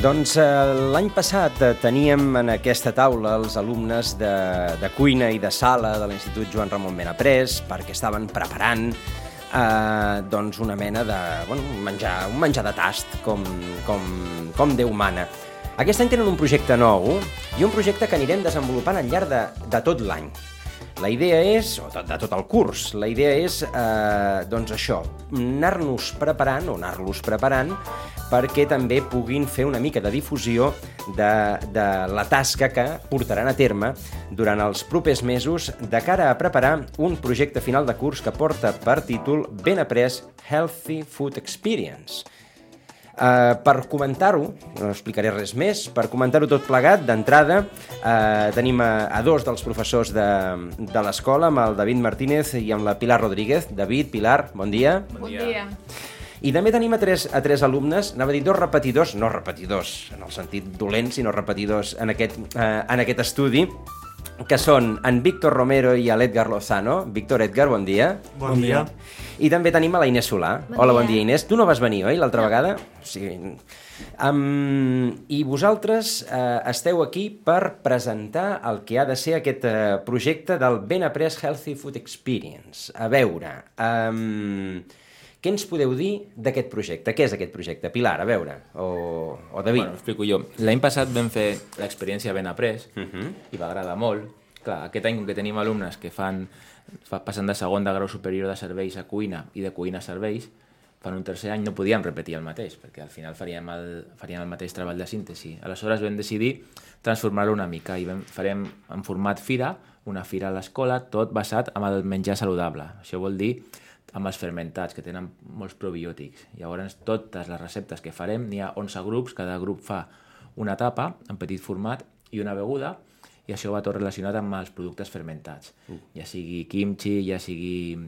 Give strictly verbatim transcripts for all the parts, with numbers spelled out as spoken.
Doncs eh, l'any passat eh, teníem en aquesta taula els alumnes de, de cuina i de sala de l'Institut Joan Ramon Benaprés perquè estaven preparant eh, doncs una mena de bueno, un, menjar, un menjar de tast com, com, com Déu mana. Aquest any tenen un projecte nou i un projecte que anirem desenvolupant al llarg de, de tot l'any. La idea és, o de, de tot el curs, la idea és, eh, doncs això, anar-nos preparant o anar-los preparant perquè també puguin fer una mica de difusió de, de la tasca que portaran a terme durant els propers mesos de cara a preparar un projecte final de curs que porta per títol Benaprés Healthy Food Experience. Uh, per comentar-ho, no explicaré res més, per comentar-ho tot plegat, d'entrada uh, tenim a, a dos dels professors de, de l'escola, amb el David Martínez i amb la Pilar Rodríguez. David, Pilar, bon dia. Bon dia. I també tenim a tres, a tres alumnes, anava a dir dos repetidors, no repetidors en el sentit dolent, sinó repetidors en aquest, uh, en aquest estudi, que són en Víctor Romero i l'Edgar Lozano. Víctor, Edgar, bon dia. Bon, bon dia. I també tenim a la Inés Solà. Bon Hola, dia. bon dia, Inés. Tu no vas venir, oi, l'altra no. vegada? Sí. Um, I vosaltres uh, esteu aquí per presentar el que ha de ser aquest uh, projecte del Benaprés Healthy Food Experience. A veure, um, què ens podeu dir d'aquest projecte? Què és aquest projecte? Pilar, a veure, o, o David. Bueno, explico jo. L'any passat vam fer l'experiència Benaprés Uh -huh. i va agradar molt. Clar, aquest any, com que tenim alumnes que fan, fa, passen de segon de grau superior de serveis a cuina i de cuina a serveis, fan un tercer any, no podíem repetir el mateix, perquè al final faríem el, faríem el mateix treball de síntesi. Aleshores vam decidir transformar-ho una mica i vam, farem en format fira, una fira a l'escola, tot basat en el menjar saludable. Això vol dir amb els fermentats, que tenen molts probiòtics. Llavors, totes les receptes que farem, n'hi ha onze grups, cada grup fa una tapa en petit format i una beguda, i això va tot relacionat amb els productes fermentats. Uh. Ja sigui kimchi, ja sigui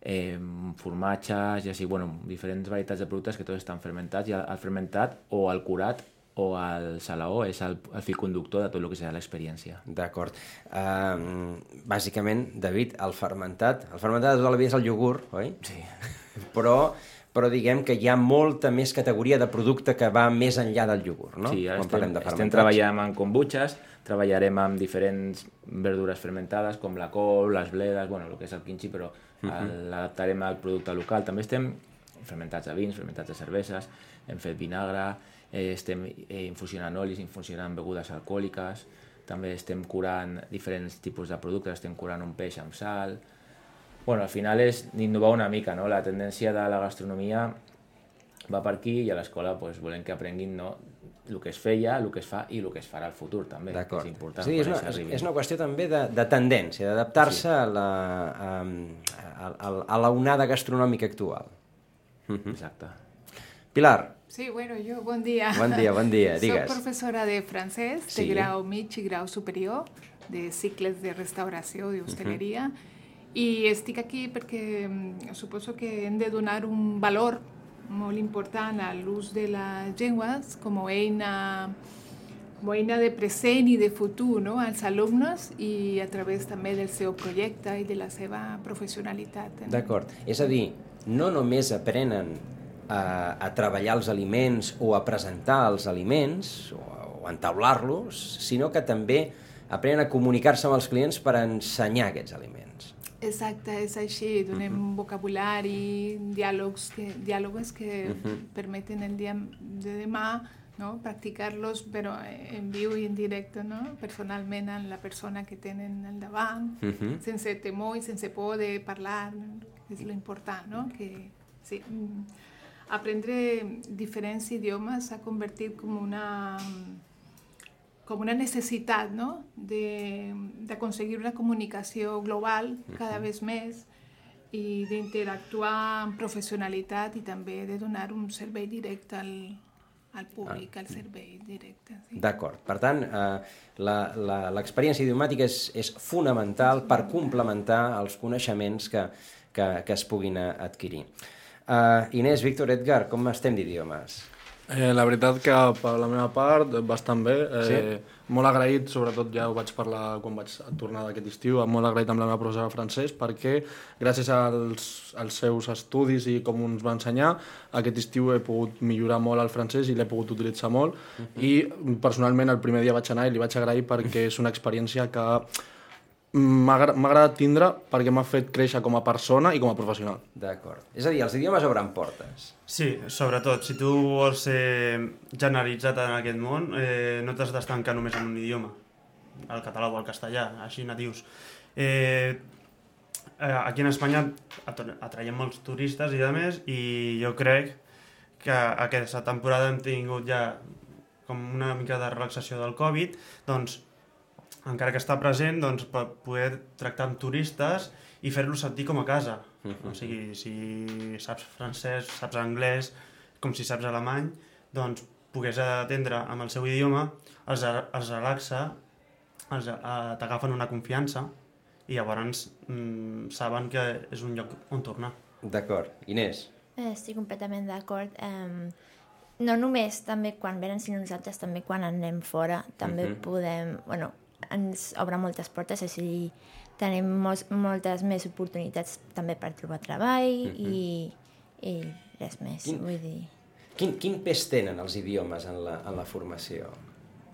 eh, formatges, ja sigui, bueno, diferents varietats de productes que tots estan fermentats, i el, el fermentat o el curat o el salaó és el, el fil conductor de tot el que serà l'experiència. D'acord. Uh, bàsicament, David, el fermentat, el fermentat de tota la vida és el iogurt, oi? Sí. Però, però diguem que hi ha molta més categoria de producte que va més enllà del iogurt, no? Sí, ara Quan estem, parlem de estem fermentats. treballant amb kombuchas, treballarem amb diferents verdures fermentades, com la col, les bledes, bueno, el que és el kimchi, però uh -huh. l'adaptarem al producte local. També estem fermentats de vins, fermentats de cerveses, hem fet vinagre, eh, estem eh, infusionant olis, infusionant begudes alcohòliques, també estem curant diferents tipus de productes, estem curant un peix amb sal. Bueno, al final és innovar una mica, no? La tendència de la gastronomia va per aquí i a l'escola pues, volem que aprenguin, no, el que es feia, el que es fa i el que es farà al futur també, que és important. Sí, és, una, és, és una qüestió també de, de tendència, d'adaptar-se sí. a, la, a, a, a la onada gastronòmica actual. Uh-huh. Exacte. Pilar. Sí, bueno, yo, bon dia. Bon dia, bon dia, digues. Soc professora de francès, Sí. de grau mig i grau superior, de cicles de restauració i hostaleria, uh-huh. i estic aquí perquè mm, suposo que hem de donar un valor molt important a l'ús de les llengües com a eina, com a eina de present i de futur, no? Als alumnes i a través també del seu projecte i de la seva professionalitat. No? D'acord. És a dir, no només aprenen a, a treballar els aliments o a presentar els aliments o, o a entaular-los, sinó que també aprenen a comunicar-se amb els clients per ensenyar aquests aliments. Exacte, és així. Donem uh-huh. vocabulari, diàlegs que, diàlegs que uh-huh. permeten el dia de demà, no? Practicar-los, però en viu i en directe, no? Personalment amb la persona que tenen al davant, uh-huh. sense temor i sense por de parlar, és lo important, no? Que, sí, aprendre diferents idiomes s'ha convertit com una... com una necessitat, no? de, d'aconseguir una comunicació global cada vegada més i d'interactuar amb professionalitat i també de donar un servei directe al, al públic, al servei directe. Sí. D'acord. Per tant, eh, la, la, l'experiència idiomàtica és, és fonamental per complementar els coneixements que, que, que es puguin adquirir. Uh, Inés, Víctor, Edgar, com estem d'idiomes? Eh, la veritat que per la meva part bastant bé, eh, Sí? molt agraït, sobretot ja ho vaig parlar quan vaig tornar d'aquest estiu, molt agraït amb la meva professora de francès perquè gràcies als, als seus estudis i com ens va ensenyar, aquest estiu he pogut millorar molt el francès i l'he pogut utilitzar molt uh-huh. i personalment el primer dia vaig anar i li vaig agrair perquè és una experiència que m'ha agradat tindre perquè m'ha fet créixer com a persona i com a professional. D'acord. És a dir, els idiomes obren portes. Sí, sobretot, si tu vols ser generalitzat en aquest món, eh, no t'has d'estancar només en un idioma, el català o el castellà, així natius. Eh, aquí en Espanya atraiem molts turistes i de més, i jo crec que aquesta temporada hem tingut ja com una mica de relaxació del Covid, doncs encara que està present, doncs, per poder tractar amb turistes i fer-los sentir com a casa. Uh-huh. O sigui, si saps francès, saps anglès, com si saps alemany, doncs pogués atendre amb el seu idioma, els, els relaxa, els, eh, t'agafen una confiança i llavors mm, saben que és un lloc on tornar. D'acord. Inés? Estic completament d'acord. Um, no només també quan venen, sinó nosaltres també quan anem fora, també uh-huh. podem... Bueno, ens obre moltes portes, o sigui, tenim mos, moltes més oportunitats també per trobar treball uh-huh. i, i res més, quin, vull dir... Quin, quin pes tenen els idiomes en la, en la formació?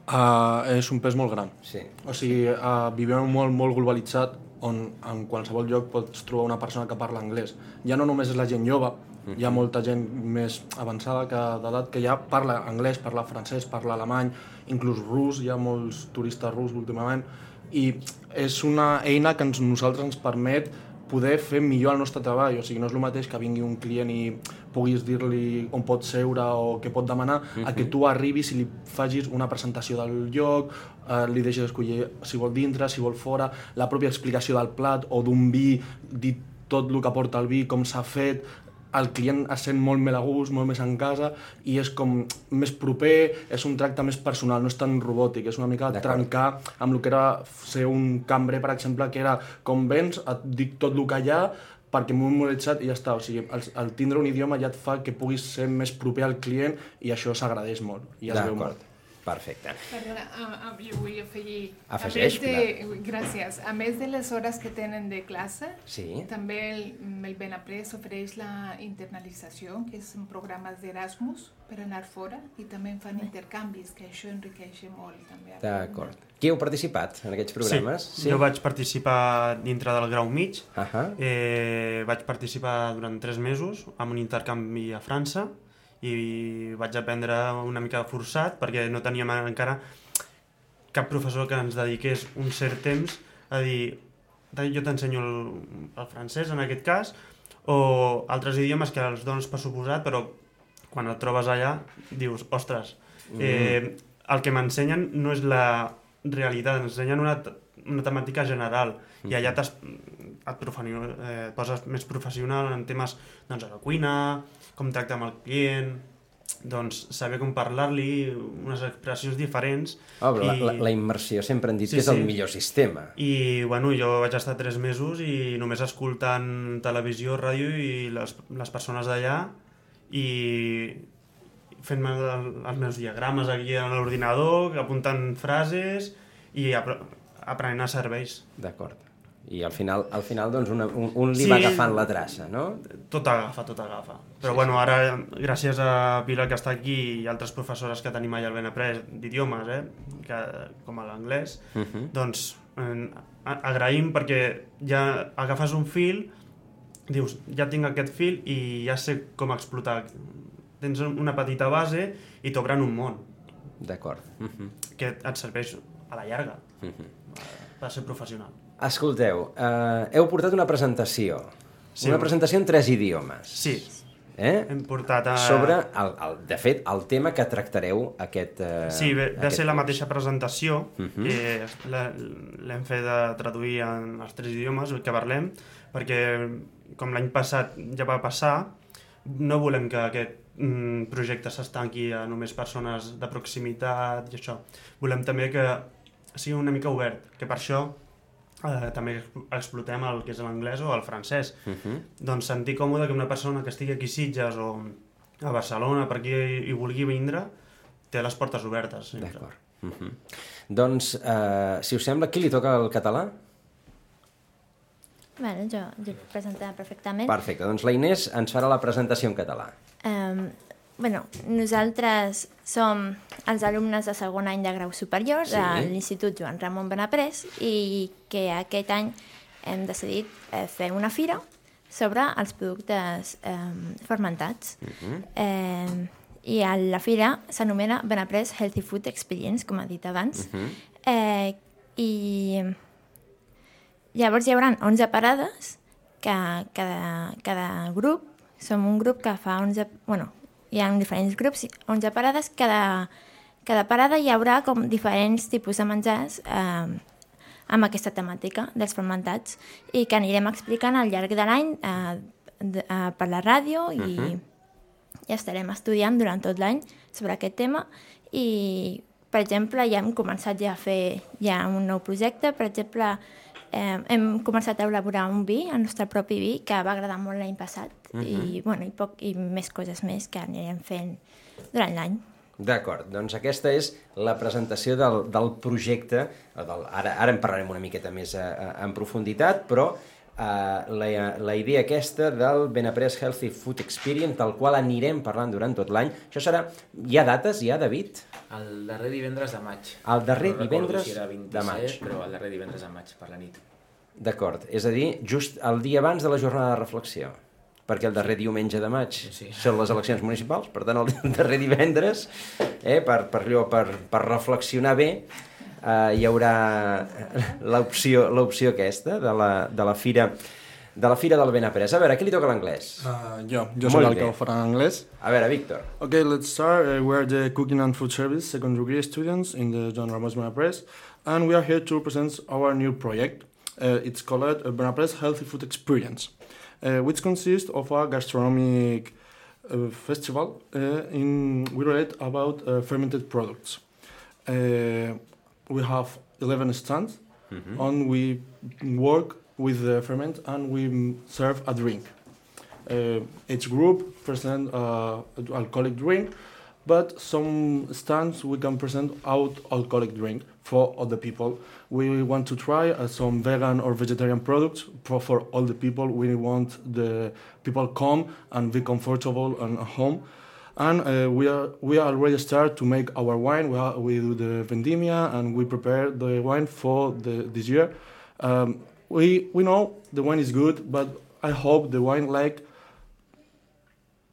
Uh, és un pes molt gran. Sí. O sigui, uh, vivim en un món molt globalitzat on en qualsevol lloc pots trobar una persona que parla anglès. Ja no només és la gent jove, uh-huh. hi ha molta gent més avançada que d'edat que ja parla anglès, parla francès, parla alemany, inclús rus, hi ha molts turistes rus últimament, i és una eina que ens, nosaltres ens permet poder fer millor el nostre treball. O sigui, no és el mateix que vingui un client i puguis dir-li on pot seure o què pot demanar, uh-huh. a que tu arribis i li facis una presentació del lloc, eh, li deixes escollir si vol dintre, si vol fora, la pròpia explicació del plat o d'un vi, dir tot el que porta el vi, com s'ha fet. El client es sent molt més a gust, molt més en casa, i és com més proper, és un tracte més personal, no és tan robòtic, és una mica trencar amb el que era ser un cambrer, per exemple, que era com vens, et dic tot el que hi ha, perquè m'ho he memoritzat i ja està. O sigui, el, el tindre un idioma ja et fa que puguis ser més proper al client i això s'agradeix molt i es veu molt. Perfecte. Perdona, uh, jo vull afegir... Afegeix, a més de, gràcies. A més de les hores que tenen de classe, sí. també el, el Benaprés ofereix la internalització, que són programes d'Erasmus per anar fora, i també fan intercanvis, que això enriqueix molt. també. D'acord. Qui heu participat en aquests programes? Sí, sí. Jo vaig participar dintre del grau mig. Uh-huh. eh, vaig participar durant tres mesos en un intercanvi a França, i vaig aprendre una mica forçat perquè no teníem encara cap professor que ens dediqués un cert temps a dir jo t'ensenyo el, el francès en aquest cas o altres idiomes que els dones per suposat, però quan et trobes allà dius, ostres, mm. eh, el que m'ensenyen no és la realitat, ens ensenyen una, una temàtica general mm. i allà et, eh, poses més professional en temes doncs, a la cuina, com tractar amb el client, doncs saber com parlar-li, unes expressions diferents. Oh, però i... la, la immersió sempre han dit sí, que és sí. el millor sistema. I bueno, jo vaig estar tres mesos i només escoltant televisió, ràdio i les, les persones d'allà i fent-me els meus diagrames aquí a l'ordinador, apuntant frases i aprenent a serveis. D'acord. I al final, al final doncs, una, un, un li sí, va agafant la traça, no? Tot agafa, tot agafa. Però sí, bueno, sí. ara, gràcies a Pilar que està aquí i altres professores que tenim allà al Benaprés d'idiomes, eh, que, com l'anglès, uh-huh. doncs eh, agraïm perquè ja agafes un fil, dius, ja tinc aquest fil i ja sé com explotar. Tens una petita base i t'obren un món. D'acord. Uh-huh. Que et serveix a la llarga uh-huh. per ser professional. Escolteu, eh, heu portat una presentació. Sí. Una presentació en tres idiomes. Sí. Eh? Hem portat a... Sobre, el, el, de fet, el tema que tractareu aquest... Eh, sí, ve, ve a ser la curs. mateixa presentació. Uh-huh. eh, L'hem fet de traduir en els tres idiomes que parlem, perquè com l'any passat ja va passar, no volem que aquest mm, projecte s'estanqui a només persones de proximitat i això. Volem també que sigui una mica obert, que per això eh, també explotem el que és l'anglès o el francès. Uh-huh. Doncs sentir còmode que una persona que estigui aquí a Sitges o a Barcelona, per qui hi vulgui vindre, té les portes obertes. D'acord. Uh -huh. Doncs, eh, si us sembla, qui li toca el català? Bueno, jo, jo presentaré perfectament. Perfecte, doncs la Inés ens farà la presentació en català. Um, bueno, nosaltres som els alumnes de segon any de grau superior Sí. de l'Institut Joan Ramon Benaprés i que aquest any hem decidit eh, fer una fira sobre els productes eh, fermentats. Uh-huh. eh, I a la fira s'anomena Benaprés Healthy Food Experience, com ha dit abans. Uh-huh. eh, I llavors hi haurà onze parades, que cada, cada grup, som un grup que fa onze... Bueno, hi ha diferents grups, onze parades, cada, cada parada hi haurà com diferents tipus de menjars eh, amb aquesta temàtica dels fermentats i que anirem explicant al llarg de l'any eh, de, eh, per la ràdio i, uh-huh. i estarem estudiant durant tot l'any sobre aquest tema i, per exemple, ja hem començat ja a fer ja un nou projecte, per exemple, eh, hem començat a elaborar un vi, el nostre propi vi, que va agradar molt l'any passat uh-huh. i, bueno, i, poc, i més coses més que anirem fent durant l'any. D'acord, doncs aquesta és la presentació del, del projecte, del, ara, ara en parlarem una miqueta més a, a, en profunditat, però Uh, la, la idea aquesta del Benaprés Healthy Food Experience, del qual anirem parlant durant tot l'any. Això serà... Hi ha dates, ja, David? El darrer divendres de maig. El darrer no divendres si era de maig. Però el darrer divendres de maig, per la nit. D'acord, és a dir, just el dia abans de la jornada de reflexió, perquè el darrer diumenge de maig sí. són les eleccions municipals, per tant, el darrer divendres, eh, per, per, per, per reflexionar bé, Uh, hi haurà l'opció l'opció aquesta de la, de la fira de la fira del Benaprés. A veure, qui li toca l'anglès? Uh, jo, jo soc el que ho farà en anglès. A veure, Víctor. Okay, let's start. Uh, we're the Cooking and Food Service second degree students in the Joan Ramos Benaprés, and we are here to present our new project. Uh, it's called uh, Benaprés Healthy Food Experience, uh, which consists of a gastronomic uh, festival uh, in we relate about uh, fermented products. Uh, We have eleven stands, mm-hmm. and we work with the ferment and we serve a drink. Uh, each group present uh, alcoholic drink, but some stands we can present out alcoholic drink for other people. We want to try uh, some vegan or vegetarian products for, for all the people. We want the people come and be comfortable and at home. And uh, we are we already start to make our wine. We, are, we do the vendimia and we prepare the wine for the, this year. Um, we we know the wine is good, but I hope the wine like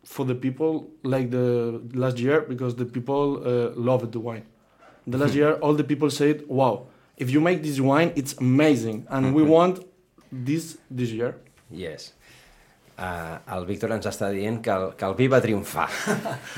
for the people like the last year, because the people uh, loved the wine. The last year, all the people said, "Wow, if you make this wine, it's amazing," and we want this this year. Yes. Uh, el Víctor ens està dient que el, que el vi va triomfar,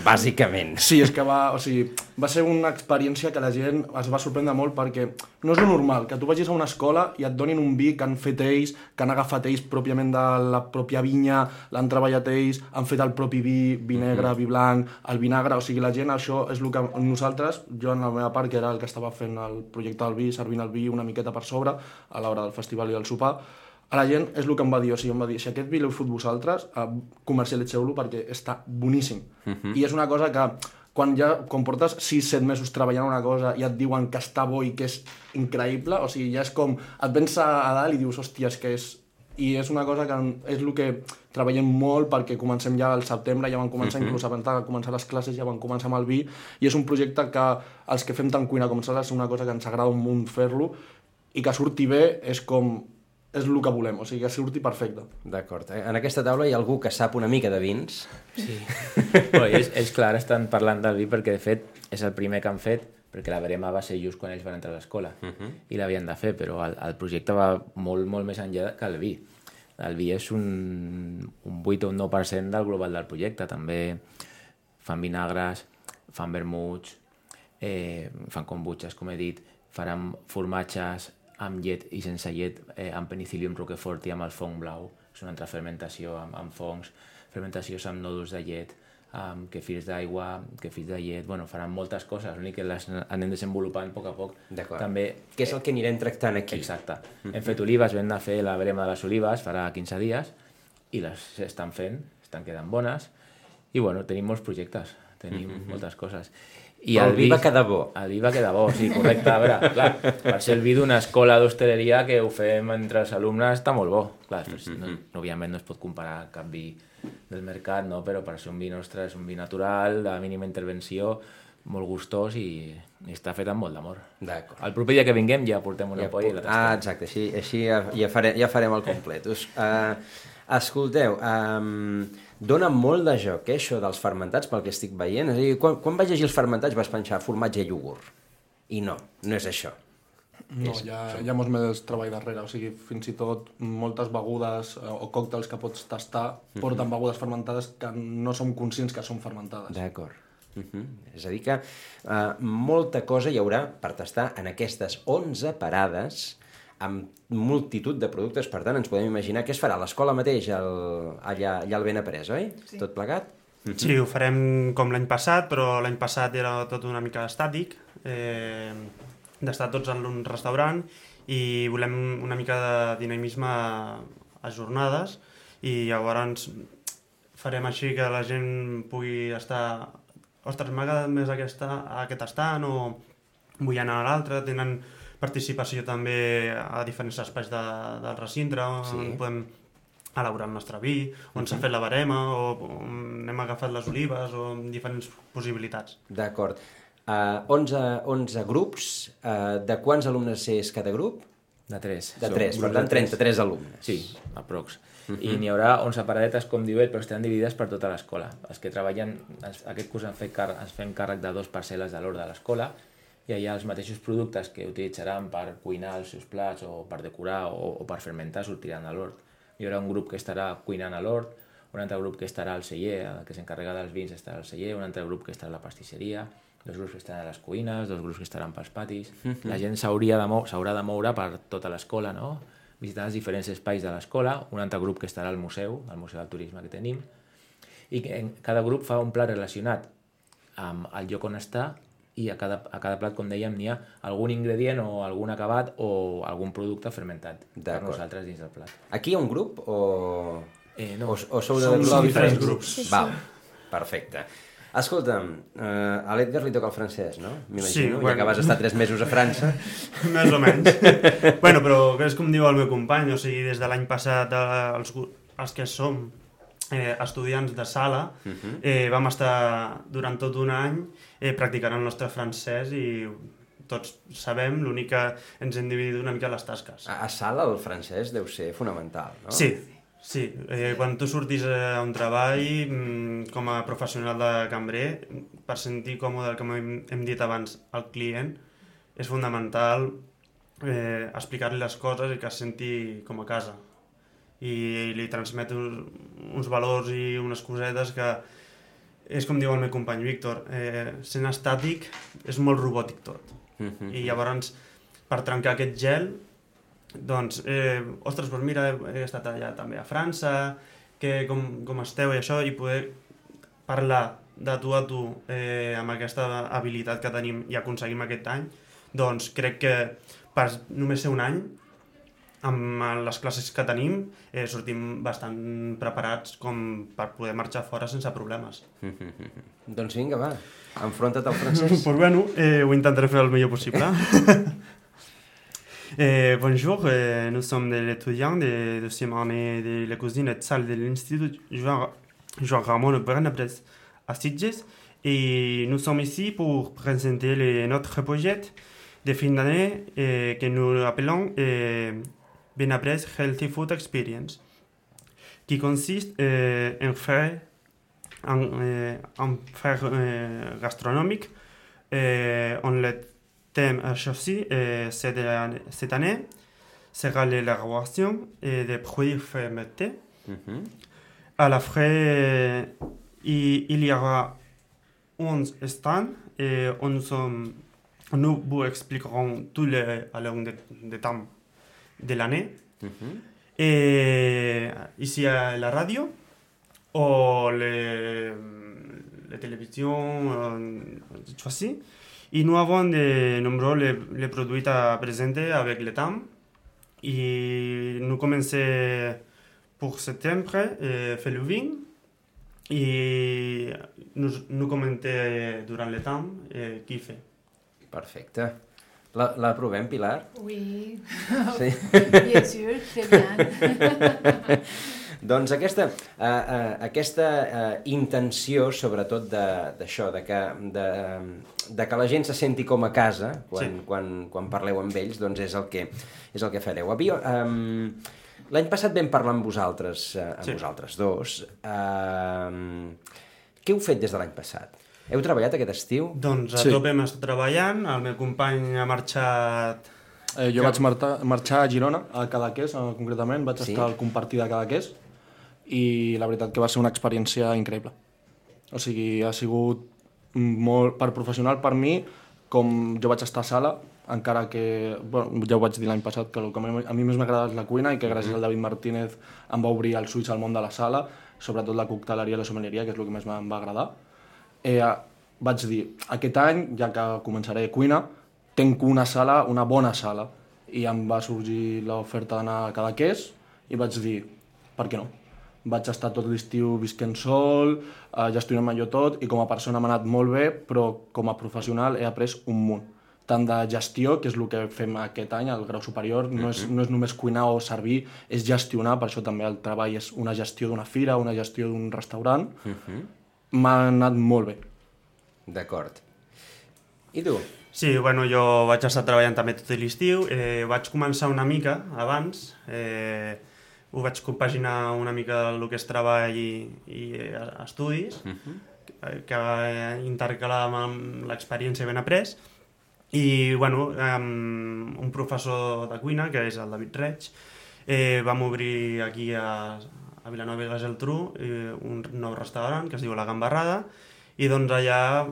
bàsicament. Sí, és que va, o sigui, va ser una experiència que la gent es va sorprendre molt, perquè no és lo normal que tu vagis a una escola i et donin un vi que han fet ells, que han agafat ells pròpiament de la pròpia vinya, l'han treballat ells, han fet el propi vi, vi negre, vi blanc, el vinagre, o sigui, la gent, això és el que nosaltres, jo en la meva part, que era el que estava fent el projecte del vi, servint el vi una miqueta per sobre, a l'hora del festival i del sopar, a la gent és el que em va dir, o sigui, em va dir, si aquest vi l'heu fot vosaltres, eh, comercialitzeu-lo perquè està boníssim. Uh-huh. I és una cosa que, quan ja quan portes sis set mesos treballant una cosa i et diuen que està bo i que és increïble, o sigui, ja és com, et vens a dalt i dius, hòstia, és que és... I és una cosa que és el que treballem molt, perquè comencem ja al setembre, ja van començar, uh-huh. inclús abans de començar les classes, ja van començar amb el vi, i és un projecte que els que fem tant cuina com sala és una cosa que ens agrada un munt fer-lo, i que surti bé és com... és el que volem, o sigui, que surti perfecte. D'acord. En aquesta taula hi ha algú que sap una mica de vins? Sí. Bueno, ells, ells, clar, estan parlant del vi perquè, de fet, és el primer que han fet, perquè la verema va ser just quan ells van entrar a l'escola, uh-huh. i l'havien de fer, però el, el projecte va molt, molt més enllà que el vi. El vi és un, un vuit o un nou per cent del global del projecte. També fan vinagres, fan vermuts, eh, fan kombuches, com he dit, faran formatges amb llet i sense llet, eh, amb penicillium roquefort i amb el fong blau. És una altra fermentació amb, amb fongs, fermentacions amb nòduls de llet, amb kefirs d'aigua, kefirs de llet... Bueno, faran moltes coses, l'únic que les anem desenvolupant a poc a poc. D'acord. També, què és el que anirem tractant aquí? Exacte. Mm-hmm. Hem fet olives, vam anar a fer la verema de les olives farà quinze dies, i les estan fent, estan quedant bones, I bueno, tenim molts projectes, tenim mm -hmm. moltes coses. I Però el vi va vi- quedar bo. El vi va quedar bo, sí, correcte. A veure, clar, per ser el vi d'una escola d'hostaleria que ho fem entre els alumnes està molt bo. Clar, mm-hmm. no, òbviament no es pot comparar cap vi del mercat, no? Però per ser un vi nostre és un vi natural, de mínima intervenció, molt gustós i, i està fet amb molt d'amor. D'acord. El proper dia que vinguem ja portem una Ja polla i pu- la Ah, tastem. exacte, així, així ja, ja, farem, ja farem el complet. Us, uh, escolteu, um, dona molt de joc, eh, això dels fermentats, pel que estic veient. És a dir, quan, quan vaig llegir els fermentats vas pensar formatge i iogurt. I no, no és això. No, hi ha, hi ha molts més treball darrere, o sigui, fins i tot moltes begudes eh, o còctels que pots tastar porten begudes fermentades que no som conscients que són fermentades. D'acord. Uh -huh. És a dir que uh, molta cosa hi haurà per tastar en aquestes onze parades amb multitud de productes. Per tant, ens podem imaginar què es farà a l'escola mateix, el, allà, allà al Benaprés, oi? Sí. Tot plegat? Sí, ho farem com l'any passat, però l'any passat era tot una mica estàtic, eh, d'estar tots en un restaurant, i volem una mica de dinamisme a jornades, i llavors farem així que la gent pugui estar... Ostres, m'ha agradat més aquesta, aquest estant, o vull anar a l'altre. Tenen participació també a diferents espais de, del recinte, on Sí. podem elaborar el nostre vi, on s'ha fet la barema, o on hem agafat les olives, o diferents possibilitats. D'acord. Uh, onze, onze grups. Uh, de quants alumnes és cada grup? De tres. De Som tres, per grups tant, de tres. trenta-tres alumnes. Sí, aprox. I n'hi haurà onze paradetes, com diu ell, però estaran dividides per tota l'escola. Els que treballen, ens- aquest curs ens fem, car ens fem càrrec de dos parcel·les de l'hort de l'escola, i allà els mateixos productes que utilitzaran per cuinar els seus plats o per decorar o, o per fermentar sortiran a l'hort. Hi haurà un grup que estarà cuinant a l'hort, un altre grup que estarà al celler, el que s'encarrega dels vins estarà al celler, un altre grup que estarà a la pastisseria, dos grups que estaran a les cuines, dos grups que estaran pels patis. La gent s'hauria de mou s'haurà de moure per tota l'escola, no? Visitant els diferents espais de l'escola, un altre grup que estarà al museu, al Museu del Turisme que tenim, i que en cada grup fa un plat relacionat amb el lloc on està, i a cada, a cada plat, com dèiem, n'hi ha algun ingredient o algun acabat o algun producte fermentat per D'acord. nosaltres dins del plat. Aquí hi ha un grup o, Eh, no. o, o sou de Som grups diferents grups. Sí, sí. Val, perfecte. Escolta'm, uh, a l'Edgar li toca el francès, no? M'imagino, Sí, ja bueno. que vas estar tres mesos a França. Més o menys. Bueno, però és com diu el meu company, o sigui, des de l'any passat eh, els, gu- els que som eh, estudiants de sala, eh, vam estar durant tot un any eh, practicant el nostre francès, i tots sabem, l'únic que ens hem dividit una mica les tasques. A, a sala el francès deu ser fonamental, no? Sí, sí. Eh, quan tu surtis a un treball mm, com a professional de cambrer, per sentir còmode, com hem, hem dit abans, al client, és fundamental eh, explicar-li les coses i que es senti com a casa. I, i li transmet uns, uns valors i unes cosetes que és com diu el meu company Víctor, eh, sent estàtic és molt robòtic tot. Mhm. I llavors, per trencar aquest gel, doncs, eh, ostres, doncs mira, he estat allà també a França, que com, com esteu i això, i poder parlar de tu a tu eh, amb aquesta habilitat que tenim i aconseguim aquest any, doncs crec que per només ser un any, amb les classes que tenim, eh, sortim bastant preparats com per poder marxar fora sense problemes. Doncs vinga, va, enfronta't al francès. Pues bueno, eh, ho intentaré fer el millor possible. Eh, bonjour, euh, nous sommes des étudiants de deuxième année de la cuisine et de salle de l'Institut Joan, Joan Ramon Benaprés à Sitges, et nous sommes ici pour présenter les, notre projet de fin d'année eh, que nous appelons eh, Benaprés Healthy Food Experience, qui consiste eh, en faire un, eh, un faire eh, gastronomique. Eh, on le thème choisi eh, cette, année, cette année sera l'élaboration eh, des produits fermentés. Mhm. À la frais, il, il y aura onze stands et on sommes, nous vous expliquerons tous les à long de, de temps de l'année. Mhm. Et ici à la radio, ou les, les télévisions euh, choisies. Et nous avons de nombreux les, les produits à présenter avec le temps. Et nous commençons pour septembre et faire le vin. i nous, nous comenté durant l'etam eh, Kife. Perfecte. La, la provem, Pilar? Oui, Sí. bien sûr, très bien. Doncs aquesta, uh, uh, aquesta uh, intenció, sobretot d'això, de, de, que, de, de que la gent se senti com a casa quan, Sí. quan, quan parleu amb ells, doncs és el que, és el que fareu. Havia, um, l'any passat vam parlar amb vosaltres, uh, amb Sí. vosaltres dos. Uh, què heu fet des de l'any passat? Heu treballat aquest estiu? Doncs a Sí. tope hem estat treballant, el meu company ha marxat... Eh, jo Que- vaig marta, marxar a Girona, a Cadaqués, eh, concretament. Vaig Sí? estar al compartir de Cadaqués i la veritat que va ser una experiència increïble. O sigui, ha sigut molt per professional per mi, com jo vaig estar a sala, encara que, bueno, ja ho vaig dir l'any passat, que el que a mi més m'ha agradat és la cuina i que gràcies al David Martínez em va obrir els ulls al món de la sala, sobretot la cocteleria i la sommelieria, que és el que més em va agradar. Eh, vaig dir, aquest any, ja que començaré cuina, tenc una sala, una bona sala, i em va sorgir l'oferta d'anar a Cadaqués i vaig dir, per què no? Vaig estar tot l'estiu visquent sol, eh, gestionant-me jo tot, i com a persona m'ha anat molt bé, però com a professional he après un munt. Tant de gestió, que és el que fem aquest any, al grau superior, no és, no és només cuinar o servir, és gestionar, per això també el treball és una gestió d'una fira, una gestió d'un restaurant. M'ha anat molt bé. D'acord. I tu? Sí, bueno, jo vaig estar treballant també tot l'estiu. Eh, vaig començar una mica abans, eh, ho vaig compaginar una mica el que és treball i, i eh, estudis, uh -huh. que va intercalar amb l'experiència ben après. I, bueno, um, un professor de cuina, que és el David Reig, eh, vam obrir aquí a, a Vilanova i la Geltrú eh, un nou restaurant que es diu La Gambarrada, i doncs allà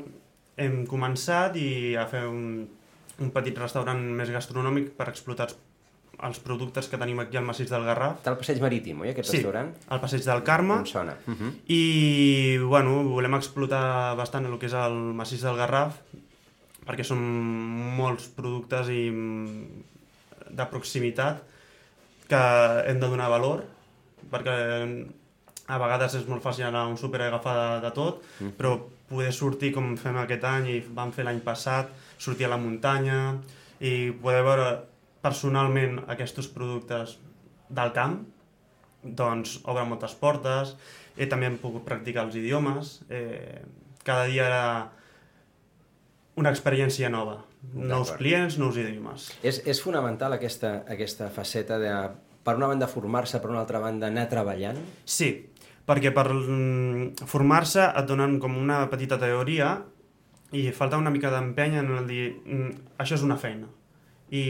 hem començat i a fer un, un petit restaurant més gastronòmic per explotar els productes que tenim aquí al Massís del Garraf. Està al Passeig Marítim, oi, aquest Sí, restaurant? al Passeig del Carme. Em sona. Uh -huh. I, bueno, volem explotar bastant el que és el Massís del Garraf, perquè són molts productes i de proximitat que hem de donar valor, perquè a vegades és molt fàcil anar a un súper i agafar de, de tot, mm. però poder sortir com fem aquest any i vam fer l'any passat, sortir a la muntanya i poder veure personalment aquests productes del camp, doncs obre moltes portes, i també hem pogut practicar els idiomes, eh, cada dia era una experiència nova, nous clients, nous idiomes. És, és fonamental aquesta, aquesta faceta de, per una banda, formar-se, per una altra banda, anar treballant? Sí, perquè per mm, formar-se et donen com una petita teoria i falta una mica d'empeny en el dir mm, això és una feina. I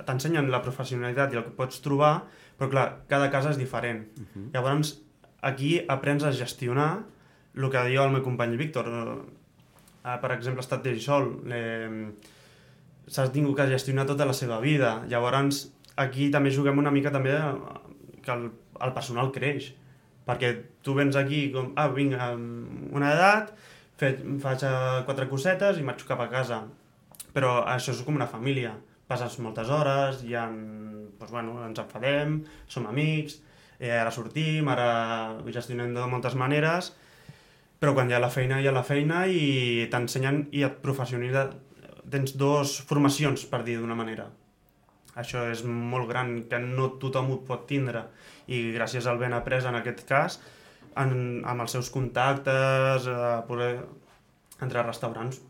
t'ensenyen la professionalitat i el que pots trobar, però clar, cada casa és diferent. Uh-huh. Llavors, aquí aprens a gestionar el que diu el meu company Víctor. Uh, per exemple, ha estat ell sol, eh, s'ha tingut que gestionar tota la seva vida. Llavors, aquí també juguem una mica també que el, el personal creix, perquè tu vens aquí com, ah, vinc amb una edat, fet, faig quatre cosetes i marxo cap a casa. Però això és com una família. Passes moltes hores, i en, doncs, bueno, ens enfadem, som amics, eh, ara sortim, ara gestionem de moltes maneres, però quan hi ha la feina, hi ha la feina i t'ensenyen i et professionalitzen. Tens dues formacions, per dir d'una manera. Això és molt gran, que no tothom ho pot tindre, i gràcies al ben après en aquest cas, en, amb els seus contactes, eh, poder, entre restaurants,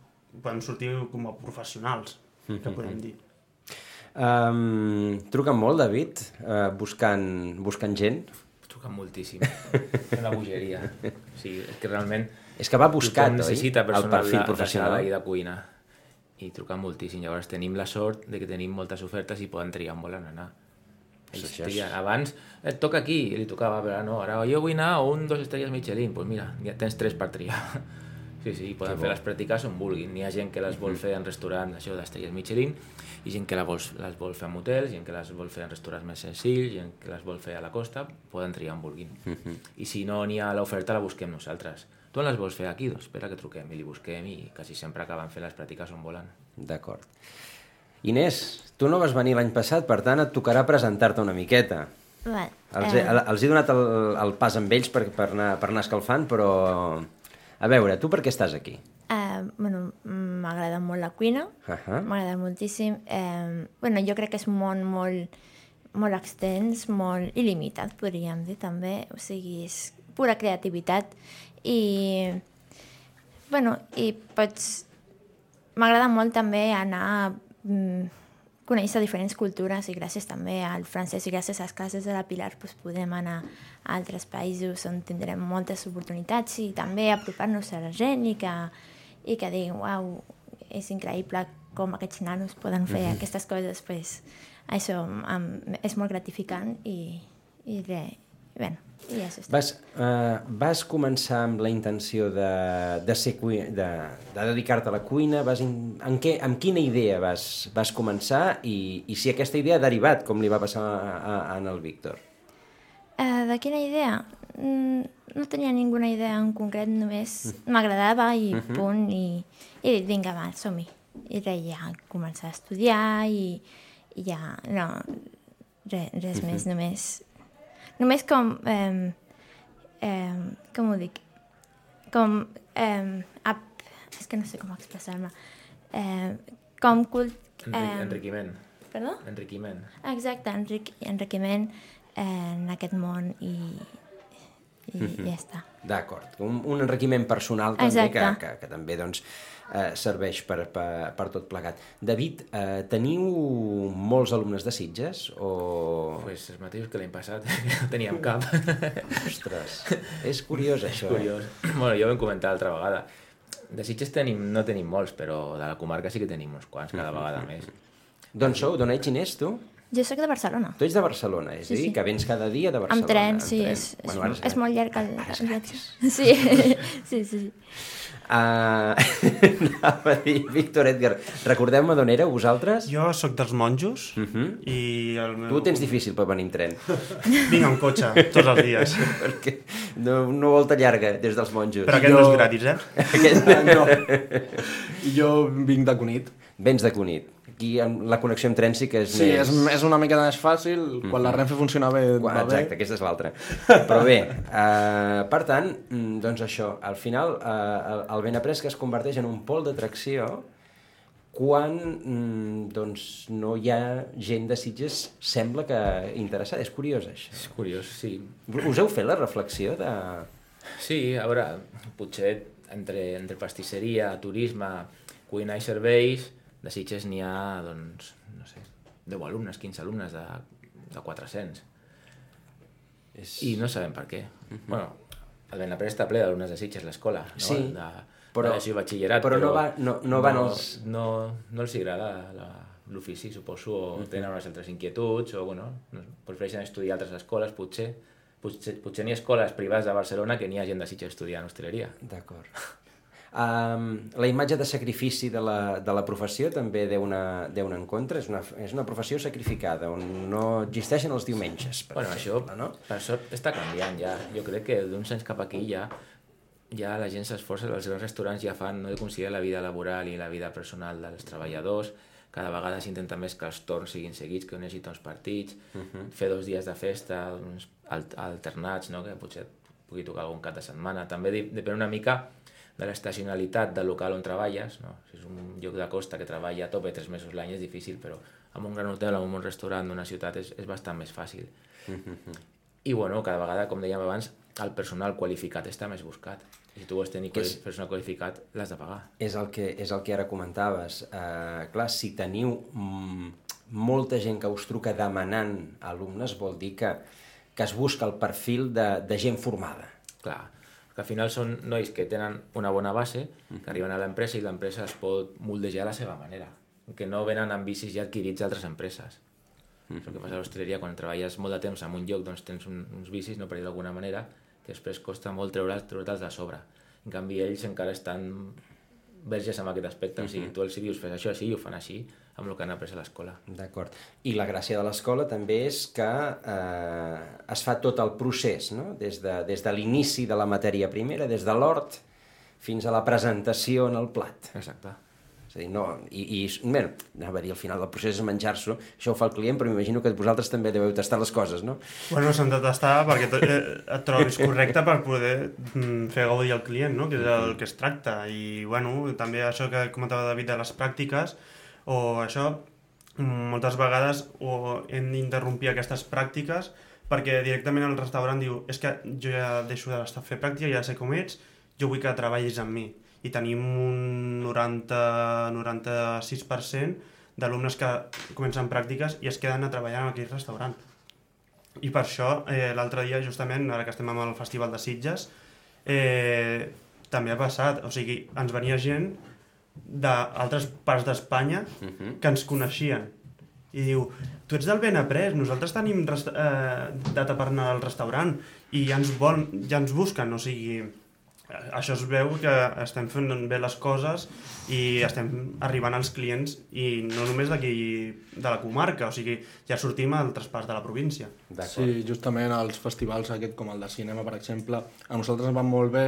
podem sortir com a professionals, que podem dir. Um, truquen molt, David, uh, buscant, buscant gent? Truquen moltíssim. És una bogeria. O sigui, és que realment... És que va buscat, oi? Necessita El personal perfil de, de professional. sala i de cuina. I truquen moltíssim. Llavors tenim la sort de que tenim moltes ofertes i poden triar on volen anar. Ells Això és- trien. Abans et toca aquí, i li tocava, però no, ara jo vull anar a un, dos estrelles Michelin. Doncs pues mira, ja tens tres per triar. Sí, sí, poden fer les pràctiques on vulguin. N'hi ha gent que les vol fer en restaurant, això d'estrelles Michelin, i gent que les vol, les vol fer en hotels, gent que les vol fer en restaurants més senzills, gent que les vol fer a la costa, poden triar on vulguin. I si no n'hi ha l'oferta, la busquem nosaltres. Tu on les vols fer aquí? Doncs espera que truquem i li busquem, i quasi sempre acaben fent les pràctiques on volen. D'acord. Inés, tu no vas venir l'any passat, per tant et tocarà presentar-te una miqueta. Vale. Els, he, Eh, els he donat el, el pas amb ells per, per, anar, per anar escalfant, però... A veure, tu per què estàs aquí? eh, bueno, m'agrada molt la cuina, Uh-huh. m'agrada moltíssim. Eh, bueno, jo crec que és un món molt, molt extens, molt il·limitat, podríem dir també. O sigui, és pura creativitat. I, bueno, i pots... M'agrada molt també anar a mm, conèixer diferents cultures i gràcies també al francès i gràcies a les classes de la Pilar doncs podem anar a altres països on tindrem moltes oportunitats i també apropar-nos a la gent i que, i que diguin, uau, és increïble com aquests nanos poden fer mm-hmm. aquestes coses, pues, això um, és molt gratificant i, i re, bueno, i això està. Vas, uh, vas començar amb la intenció de, de, ser cui- de, de dedicar-te a la cuina? Vas in, en què, amb quina idea vas, vas començar i, i si aquesta idea ha derivat, com li va passar a, a, a en el Víctor? Uh, de quina idea? Mm, no tenia ninguna idea en concret, només m'agradava i Mhm. punt, i, i he dit, vinga, va, som-hi. I res, ja començar a estudiar i, i ja, no, res, res Mhm. més, només... Només com... Eh, eh, com ho dic? Com... Eh, ap, és que no sé com expressar-me. Eh, com cult... Enric, Eh, enriquiment. perdó? Enriquiment. Exacte, enric, enriquiment eh, en aquest món i, i Mhm. ja està. D'acord, un, un enriquiment personal també que, Exacte. que, que també doncs, eh, serveix per, per, per tot plegat. David, eh, teniu molts alumnes de Sitges o... Pues els mateixos que l'any passat, que no teníem cap. Ostres, és curiós això. Curiós. Bueno, jo ho vam comentar l'altra vegada. De Sitges tenim, no tenim molts, però de la comarca sí que tenim uns quants, cada vegada més. Eh? D'on sou? D'on ets, Inés, tu? Jo sóc de Barcelona. Tu ets de Barcelona, és Sí, a dir, sí. que vens cada dia de Barcelona. Amb tren, en sí, tren. és, és, Bueno, ara és molt llarg el, ara és el gratis. viatge. Sí, sí, sí. sí. Uh, anava a dir, Víctor Edgar, recordeu-me d'on éreu vosaltres? Jo sóc dels monjos Uh -huh. i el meu... Tu ho tens difícil per venir en tren, Vinc en cotxe tots els dies. perquè no, una volta llarga des dels monjos. Però aquest Jo- no és gratis, eh? Aquest... No. I jo vinc de Cunit. Vens de Cunit. Aquí amb la connexió amb tren sí que és Sí, més... és, és una mica més fàcil. Quan la Renfe funciona bé, Quan, va exacte, bé. aquesta és l'altra. Però bé, eh, per tant, mm, doncs això, al final eh, el, el Benaprés que es converteix en un pol d'atracció quan mm, doncs, no hi ha gent de Sitges sembla que interessada. És curiós, això. És curiós, sí. Us heu fet la reflexió de... Sí, a veure, potser entre, entre pastisseria, turisme, cuina i serveis, de Sitges n'hi ha, doncs, no sé, deu alumnes, quinze alumnes de, de quatre-cents. És... I no sabem per què. Bueno, el Benaprés està ple d'alumnes de Sitges, l'escola, no? Sí, de, però- de l'així batxillerat, però no va- no- no van els- No, no els agrada la- l'ofici, suposo, o tenen unes altres inquietuds, o, bueno, no, prefereixen estudiar a altres escoles, potser. Potser, potser n'hi ha escoles privades de Barcelona que n'hi ha gent de Sitges estudiant hostaleria. D'acord. Um, la imatge de sacrifici de la, de la professió també deu anar, deu anar en contra. És una, és una professió sacrificada, on no existeixen els diumenges. Per Bueno, això, exemple, no? per sort, està canviant ja. Jo crec que d'uns anys cap aquí ja, ja la gent s'esforça, els grans restaurants ja fan, no de considerar la vida laboral i la vida personal dels treballadors, cada vegada s'intenta més que els torns siguin seguits, que no hi hagi torns partits, uh -huh. fer dos dies de festa, uns alternats, no? Que potser pugui tocar algun cap de setmana. També depèn una mica de l'estacionalitat del local on treballes, no? Si és un lloc de costa que treballa a tope tres mesos l'any és difícil, però amb un gran hotel o amb un restaurant d'una ciutat és, és bastant més fàcil. I bueno, cada vegada, com dèiem abans, el personal qualificat està més buscat. I si tu vols tenir És- personal qualificat, l'has de pagar. És el que, és el que ara comentaves. Uh, clar, si teniu mm, molta gent que us truca demanant alumnes, vol dir que, que es busca el perfil de, de gent formada. Clar, que al final són nois que tenen una bona base, que arriben a l'empresa i l'empresa es pot moldejar a la seva manera, que no venen amb vicis ja adquirits d'altres empreses. Mm. És el que passa a l'hostaleria, quan treballes molt de temps en un lloc, doncs tens un, uns vicis, no per dir d'alguna manera, que després costa molt treure'ls treure'ls de sobre. En canvi, ells encara estan verges amb aquest aspecte, mm-hmm. O sigui, tu els dius fes això així i ho fan així, amb el que han après a l'escola. D'acord. I la gràcia de l'escola també és que eh, es fa tot el procés, no? Des de, des de l'inici de la matèria primera, des de l'hort fins a la presentació en el plat. Exacte. És a dir, no... I, i bé, anava a dir, al final el procés és menjar-s'ho, això ho fa el client, però m'imagino que vosaltres també deveu tastar les coses, no? Bueno, s'han de tastar perquè eh, et trobis correcte per poder mm, fer gaudir al client, no? Que és el que es tracta. I, bueno, també això que comentava David de les pràctiques, o això, moltes vegades o hem d'interrompir aquestes pràctiques perquè directament el restaurant diu és que jo ja deixo de fer pràctica, ja sé com ets, jo vull que treballis amb mi. I tenim un noranta a noranta-sis per cent d'alumnes que comencen pràctiques i es queden a treballar en aquell restaurant. I per això, eh, l'altre dia, justament, ara que estem amb el Festival de Sitges, eh, també ha passat, o sigui, ens venia gent d'altres parts d'Espanya que ens coneixien. I diu, tu ets del Benaprés, nosaltres tenim eh, data per anar al restaurant i ja ens, vol, ja ens busquen, o sigui... Això es veu que estem fent bé les coses i estem arribant als clients i no només d'aquí de la comarca, o sigui, ja sortim a altres parts de la província. Sí, justament els festivals aquest com el de cinema, per exemple, a nosaltres ens van molt bé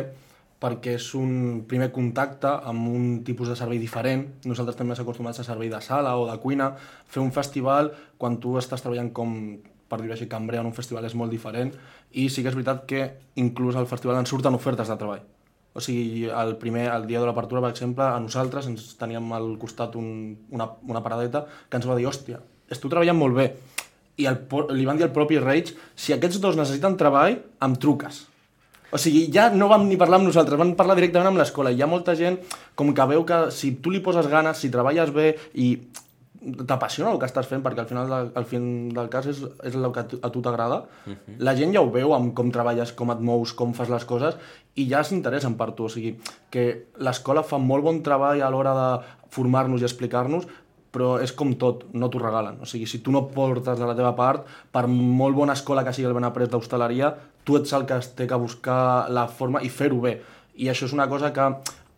perquè és un primer contacte amb un tipus de servei diferent. Nosaltres també estem acostumats a servei de sala o de cuina. Fer un festival, quan tu estàs treballant com, per dir-ho així, cambrer en un festival és molt diferent i sí que és veritat que inclús al festival ens surten ofertes de treball. O sigui, el, primer, el dia de l'apertura, per exemple, a nosaltres ens teníem al costat un, una, una paradeta que ens va dir, hòstia, esteu treballant molt bé. I el, li van dir al propi Reig, si aquests dos necessiten treball, em truques. O sigui, ja no vam ni parlar amb nosaltres, vam parlar directament amb l'escola. I hi ha molta gent com que veu que si tu li poses ganes, si treballes bé i t'apassiona el que estàs fent, perquè al final del, al fin del cas és, és el que a tu t'agrada, uh-huh. La gent ja ho veu amb com treballes, com et mous, com fas les coses, i ja s'interessen per tu. O sigui, que l'escola fa molt bon treball a l'hora de formar-nos i explicar-nos, però és com tot, no t'ho regalen. O sigui, si tu no portes de la teva part, per molt bona escola que sigui el Benaprés d'hostaleria, tu ets el que es té que buscar la forma i fer-ho bé. I això és una cosa que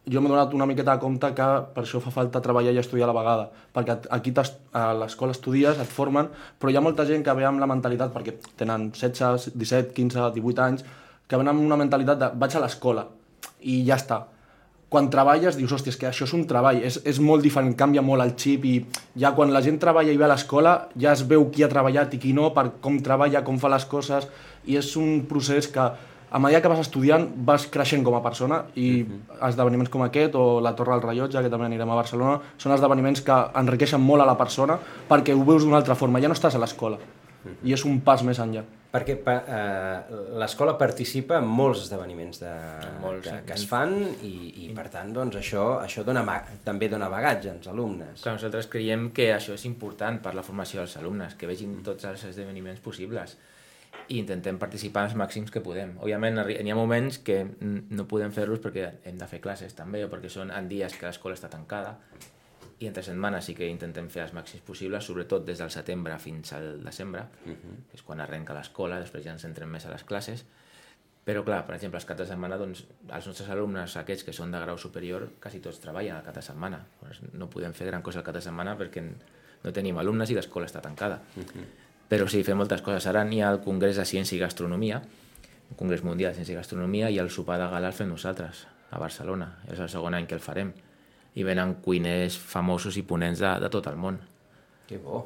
jo m'he donat una miqueta de compte que per això fa falta treballar i estudiar a la vegada, perquè aquí a l'escola estudies, et formen, però hi ha molta gent que ve amb la mentalitat, perquè tenen setze, disset, quinze, divuit anys, que venen amb una mentalitat de vaig a l'escola i ja està. Quan treballes dius, hòstia, és que això és un treball, és, és molt diferent, canvia molt el xip i ja quan la gent treballa i ve a l'escola ja es veu qui ha treballat i qui no, per com treballa, com fa les coses, i és un procés que a mesura que vas estudiant vas creixent com a persona i uh-huh. esdeveniments com aquest o la Torre del Rellotge, que també anirem a Barcelona, són esdeveniments que enriqueixen molt a la persona perquè ho veus d'una altra forma, ja no estàs a l'escola uh-huh. i és un pas més enllà. Perquè pa, eh, l'escola participa en molts esdeveniments de, molts, que, que es fan i, i per tant doncs, això, això dona, també dona bagatge als alumnes. Clar, nosaltres creiem que això és important per la formació dels alumnes, que vegin tots els esdeveniments possibles i intentem participar els màxims que podem. Òbviament, hi ha moments que no podem fer-los perquè hem de fer classes també o perquè són en dies que l'escola està tancada i entre setmanes sí que intentem fer els màxims possibles, sobretot des del setembre fins al desembre, uh-huh. que és quan arrenca l'escola, després ja ens centrem més a les classes. Però clar, per exemple, els caps de setmana, doncs, els nostres alumnes, aquests que són de grau superior, quasi tots treballen al cap de setmana. Doncs no podem fer gran cosa al cap de setmana perquè no tenim alumnes i l'escola està tancada. Uh-huh. Però sí, fem moltes coses. Ara n'hi ha el Congrés de Ciència i Gastronomia, el Congrés Mundial de Ciència i Gastronomia, i el sopar de gala el fem nosaltres, a Barcelona. És el segon any que el farem. I venen cuiners famosos i ponents de, de tot el món. Que bo.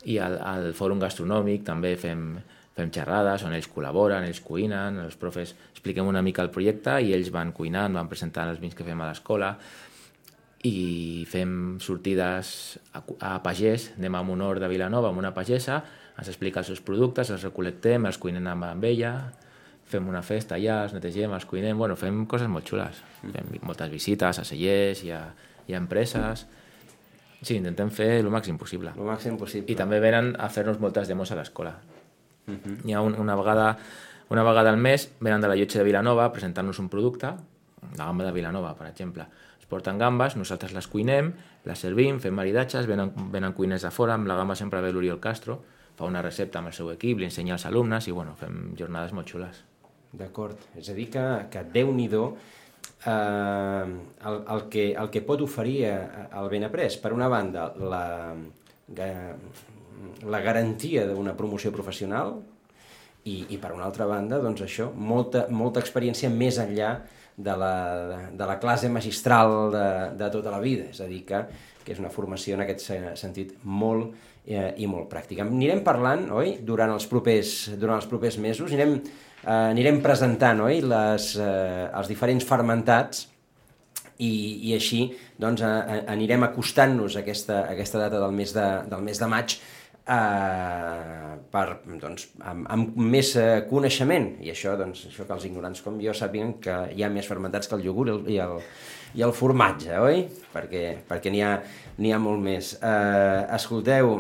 I al, al Fòrum Gastronòmic també fem, fem xerrades on ells col·laboren, ells cuinen, els profes expliquem una mica el projecte i ells van cuinant, van presentant els vins que fem a l'escola i fem sortides a, a pagès, anem a Monor de Vilanova amb una pagesa, ens explica els seus productes, els recol·lectem, els cuinem amb ella, fem una festa allà, els netegem, els cuinem, bueno, fem coses molt xules. Fem moltes visites a cellers i a, i a empreses. Sí, intentem fer el màxim possible. El màxim possible. I també venen a fer-nos moltes demos a l'escola. Uh-huh. Hi ha un, una, vegada, una vegada al mes venen de la Llotja de Vilanova a presentar-nos un producte, la gamba de Vilanova, per exemple. Es porten gambes, nosaltres les cuinem, les servim, fem maridatges, venen, venen cuiners de fora, amb la gamba sempre ve l'Oriol Castro, fa una recepta amb el seu equip, li ensenya als alumnes i bueno, fem jornades molt xules. D'acord. És a dir que, que Déu-n'hi-do eh, el, el, que, el que pot oferir el Benaprés, per una banda, la, la garantia d'una promoció professional i, i per una altra banda, doncs això, molta, molta experiència més enllà de la, de la classe magistral de, de tota la vida, és a dir, que, que és una formació en aquest sentit molt eh, i molt pràctica. Anirem parlant, oi?, durant els propers, durant els propers mesos, anirem, eh, anirem presentant, oi?, les, eh, els diferents fermentats i, i així doncs, a, a, anirem acostant-nos a aquesta, a aquesta data del mes de, del mes de maig eh, per, doncs, amb, amb més eh, coneixement, i això, doncs, això que els ignorants com jo sàpiguen que hi ha més fermentats que el iogurt i el, i el formatge, oi? Perquè, perquè n'hi ha, n'hi ha molt més. Eh, escolteu,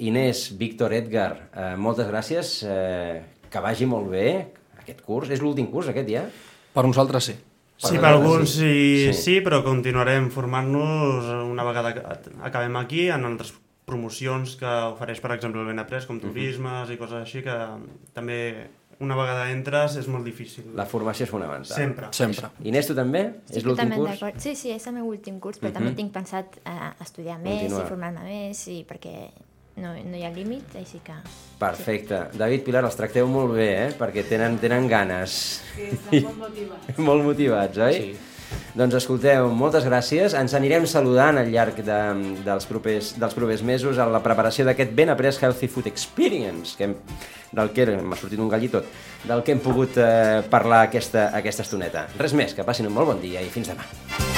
Inés, Víctor, Edgar, eh, moltes gràcies, eh, que vagi molt bé aquest curs. És l'últim curs aquest ja? Per nosaltres sí. Sí, per alguns sí, sí, sí, però continuarem formant-nos una vegada que acabem aquí en altres promocions que ofereix, per exemple, el Benaprés, com turismes uh-huh. i coses així, que també una vegada entres és molt difícil. La formació és fonamental. Sempre. Sempre. Inés, tu també? Sí, és l'últim curs? Sí, sí, és el meu últim curs, però uh-huh. també tinc pensat uh, estudiar més Continuar. i formar-me més, i perquè no, no hi ha límit, així que... Perfecte. Sí. David, Pilar, els tracteu molt bé, eh? Perquè tenen, tenen ganes. Sí, estan molt motivats. Molt motivats, oi? Sí. Doncs escolteu, moltes gràcies. Ens anirem saludant al llarg de, dels, propers, dels propers mesos a la preparació d'aquest Benaprés Healthy Food Experience, que hem, del que m'ha sortit un gall i tot, del que hem pogut eh, parlar aquesta, aquesta estoneta. Res més, que passin un molt bon dia i fins demà.